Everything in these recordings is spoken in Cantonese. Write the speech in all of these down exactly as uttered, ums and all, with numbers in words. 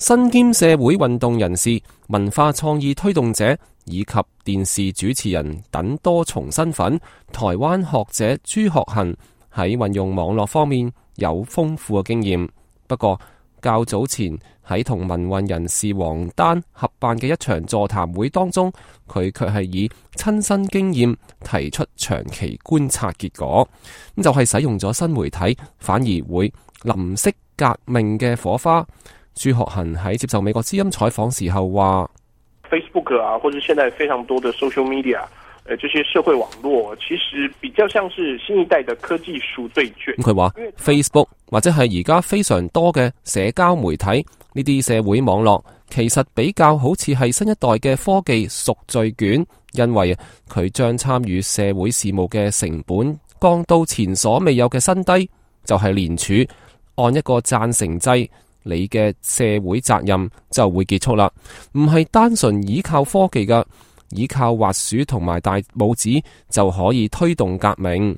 身兼社會運動人士、文化創意推動者以及電視主持人等多重身份，台灣學者朱學恆喺運用網絡方面有豐富嘅經驗。不過較早前喺同民運人士王丹合辦嘅一場座談會當中，佢卻係以親身經驗提出長期觀察結果，咁就係、是、使用咗新媒體反而會淋熄革命嘅火花。朱學恆喺接受美國之音採訪時候話 Facebook 啊，或者現在非常多的 social media，誒，這些社會網絡其實比較像是新一代的科技贖罪券。佢話 Facebook 或者係而家非常多嘅社交媒體呢啲社會網絡，其實比較好似係新一代嘅科技贖罪券，因為佢將參與社會事務嘅成本降到前所未有嘅新低，就係聯署按一個贊成制，你嘅社會責任就會結束啦，唔係單純依靠科技噶。依靠滑鼠同埋大拇指就可以推動革命。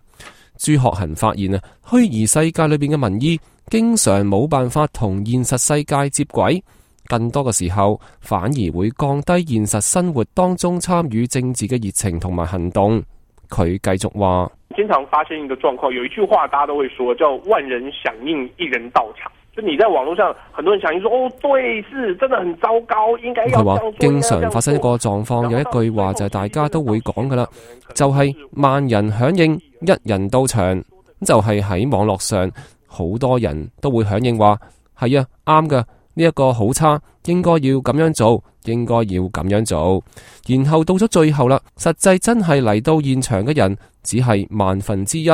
朱學恆發現啊，虛擬世界裏邊嘅民意經常冇辦法同現實世界接軌，更多嘅時候反而會降低現實生活當中參與政治嘅熱情同埋行動。佢繼續話：經常發生一個狀況，有一句話大家都會說，叫萬人響應，一人到場。就你在網絡上，很多人響應說，哦，對，是真的很糟糕，應該要這樣做。經常發生一個狀況，有一句話就係大家都會講噶啦，就係萬人響應，一人到場。就係喺網絡上，好多人都會響應話，係啊，啱噶，呢一個好差，應該要咁樣做，應該要咁樣做。然後到咗最後啦，實際真係嚟到現場嘅人只係萬分之一。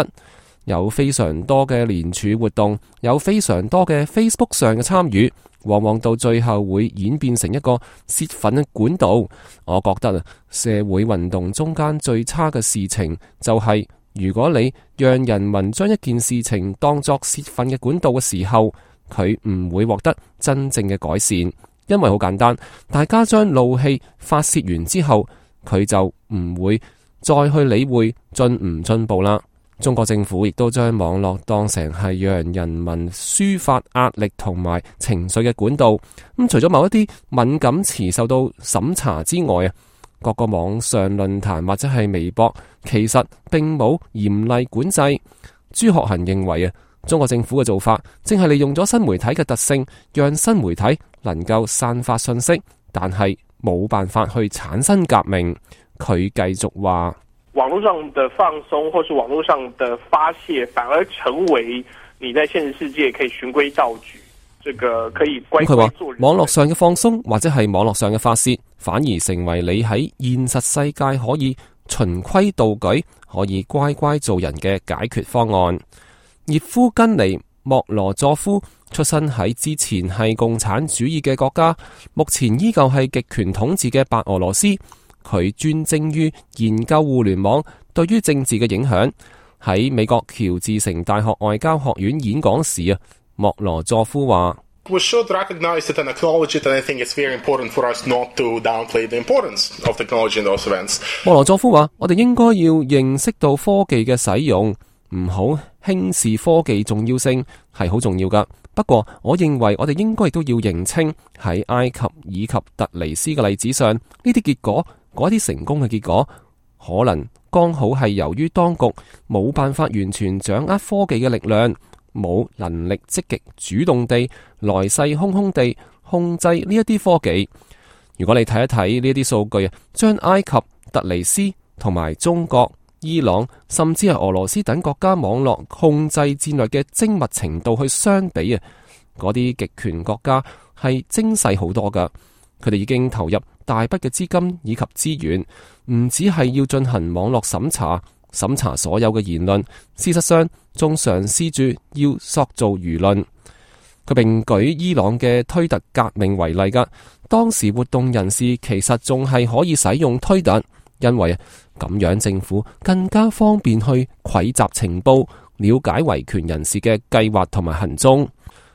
有非常多嘅聯署活動，有非常多嘅 Facebook 上嘅參與，往往到最後會演變成一個泄憤嘅管道。我覺得啊，社會運動中間最差嘅事情就係、是，如果你讓人民將一件事情當作泄憤嘅管道嘅時候，佢唔會獲得真正嘅改善，因為好簡單，大家將怒氣發泄完之後，佢就唔會再去理會進唔進步啦。中國政府亦都將網絡當成係讓人民抒發壓力同埋情緒嘅管道。咁除咗某一啲敏感詞受到審查之外啊，各個網上論壇或者係微博，其實並冇嚴厲管制。朱學恆認為啊，中國政府嘅做法正係利用咗新媒體嘅特性，讓新媒體能夠散發信息，但係冇辦法去產生革命。佢繼續話：網絡上的放鬆，或是網絡上的發洩，反而成為你在現實世界可以循規蹈矩，這個可以乖乖做人。網絡上嘅放鬆，或者係網絡上嘅發洩，反而成為你喺現實世界可以循規蹈矩，可以乖乖做人嘅解決方案。葉夫根尼莫羅佐夫出身喺之前係共產主義嘅國家，目前依舊係極權統治嘅白俄羅斯。佢專精於研究互聯網對於政治嘅影響。喺美國喬治城大學外交學院演講時啊，莫羅佐夫話：We should recognize it and acknowledge it, and I think it's very important for us not to downplay the importance of technology in those events. 莫羅佐夫話：我哋應該要認識到科技嘅使用，唔好輕視科技重要性，係好重要噶。不過，我認為我哋應該亦都要認清喺埃及以及突尼斯嘅例子上，呢啲結果。嗰啲成功嘅結果，可能剛好係由於當局冇辦法完全掌握科技嘅力量，冇能力積極主動地來勢洶洶地控制呢一啲科技。如果你睇一睇呢啲數據啊，將埃及、突尼斯同埋中國、伊朗，甚至係俄羅斯等國家網絡控制戰略嘅精密程度去相比啊，嗰啲極權國家係精細好多噶。佢哋已經投入大筆嘅資金以及資源，唔只係要進行網絡審查，審查所有嘅言論，事實上仲嘗試住要塑造輿論。佢並舉伊朗嘅推特革命為例噶，當時活動人士其實仲係可以使用推特，因為咁樣政府更加方便去匯集情報，了解維權人士嘅計劃同埋行蹤。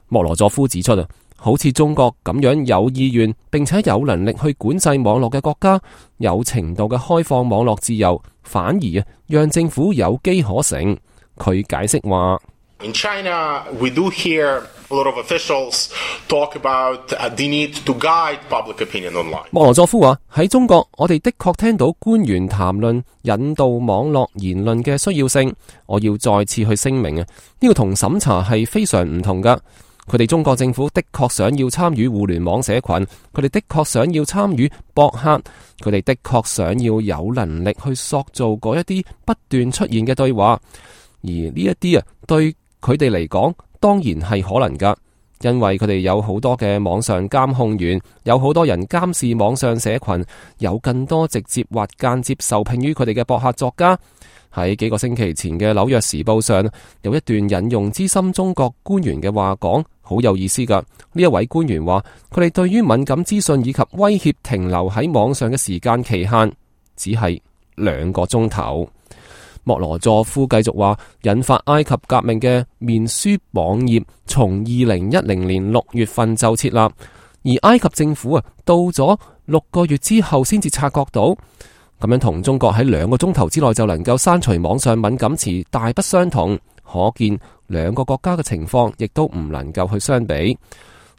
莫羅佐夫指出啊，好似中國咁樣有意願並且有能力去管制網絡嘅國家，有程度嘅開放網絡自由，反而啊讓政府有機可乘。佢解釋話 In China, we do hear a lot of officials talk about the need to guide public opinion online. 莫羅佐夫話：喺中國，我哋的確聽到官員談論引導網絡言論嘅需要性。我要再次去聲明啊，呢個同審查係非常唔同噶。佢哋中國政府的確想要參與互聯網社群，佢哋的確想要參與博客，佢哋的確想要有能力去塑造嗰一啲不斷出現嘅對話。而呢一啲啊，對佢哋嚟講，當然係可能噶，因為佢哋有好多嘅網上監控員，有好多人監視網上社群，有更多直接或間接受聘於佢哋嘅博客作家。喺幾個星期前嘅紐約時報上，有一段引用資深中國官員嘅話講，好有意思噶。呢一位官員話，佢哋對於敏感資訊以及威脅停留喺網上嘅時間期限，只係兩個鐘頭。莫羅佐夫繼續話，引發埃及革命嘅面書網頁從二零一零年六月份就設立，而埃及政府啊到咗六個月之後先至察覺到，咁樣同中國喺兩個鐘頭之內就能夠刪除網上敏感詞大不相同，可見兩個國家嘅情況亦都唔能夠去相比。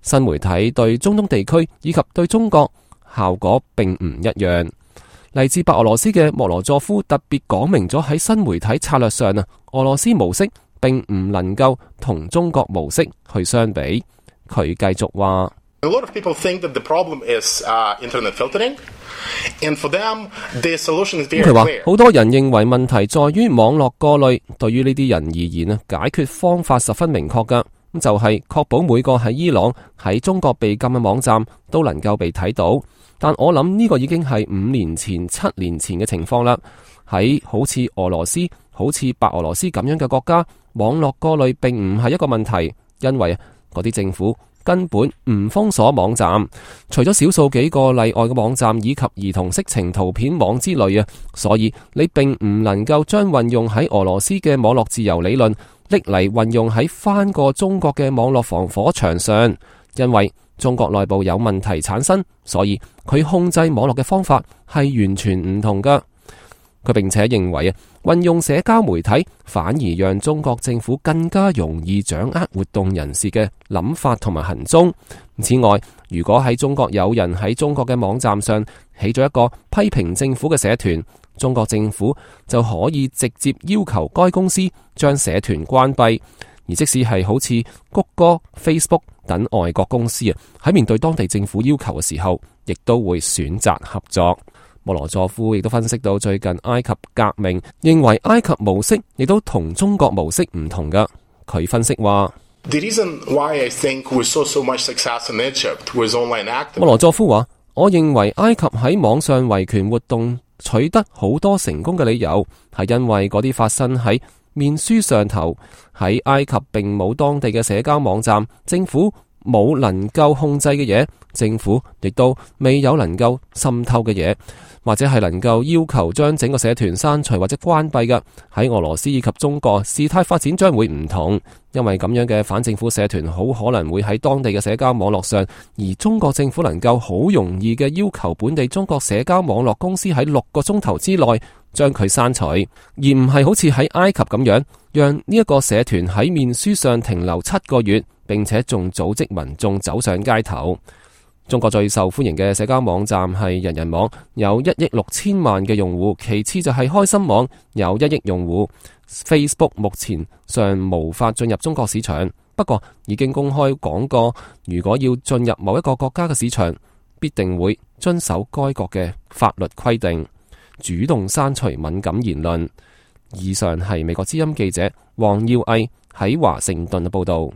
新媒體對中東地區以及對中國效果並唔一樣。嚟自白俄羅斯嘅莫羅佐夫特別講明咗喺新媒體策略上啊，俄羅斯模式並唔能夠同中國模式去相比。佢繼續話 A lot of people think that the problem is uh, internet filtering, and for them, the solution is very clear. 佢話好多人認為問題在於網絡過濾，對於呢啲人而言啊，解決方法十分明確噶，咁就係確保每個喺伊朗、喺中國被禁嘅網站都能夠被睇到。但我諗呢個已經係五年前、七年前嘅情況啦。喺好似俄羅斯、好似白俄羅斯咁樣嘅國家，網絡過濾並唔係一個問題，因為嗰啲政府根本唔封鎖網站，除咗少數幾個例外嘅網站以及兒童色情圖片網之類啊，所以你並唔能夠將運用喺俄羅斯嘅網絡自由理論拎嚟運用喺翻過中國嘅網絡防火牆上，因為中國內部有問題產生，所以佢控制網絡嘅方法係完全唔同噶。佢並且認為啊，運用社交媒體反而讓中國政府更加容易掌握活動人士嘅諗法同埋行蹤。此外，如果喺中國有人喺中國嘅網站上起咗一個批評政府嘅社團，中國政府就可以直接要求該公司將社團關閉。而即使係好似谷歌、Facebook 等外國公司啊，喺面對當地政府要求嘅時候，亦都會選擇合作。莫羅佐夫亦都分析到最近埃及革命，認為埃及模式亦都同中國模式唔同噶。佢分析話， The reason why I think we saw so much success in Egypt with online activism。莫羅佐夫話，我認為埃及喺網上維權活動取得好多成功嘅理由，係因為嗰啲發生喺面書上頭，喺埃及並冇當地嘅社交網站，政府冇能夠控制嘅嘢，政府亦都未有能夠滲透嘅嘢，或者係能夠要求將整個社團刪除或者關閉嘅。喺俄羅斯以及中國，事態發展將會唔同，因為咁樣嘅反政府社團好可能會喺當地嘅社交網絡上，而中國政府能夠好容易嘅要求本地中國社交網絡公司喺六個鐘頭之內將佢刪除，而唔係好似喺埃及咁樣，讓呢一個社團喺面書上停留七個月，並且仲組織民眾走上街頭。中國最受歡迎嘅社交網站係人人網，有一億六千萬嘅用戶，其次就係開心網，有一億用戶。Facebook 目前尚無法進入中國市場，不過已經公開講過，如果要進入某一個國家嘅市場，必定會遵守該國嘅法律規定，主動刪除敏感言論。以上係美國之音記者黃耀毅喺華盛頓嘅報道。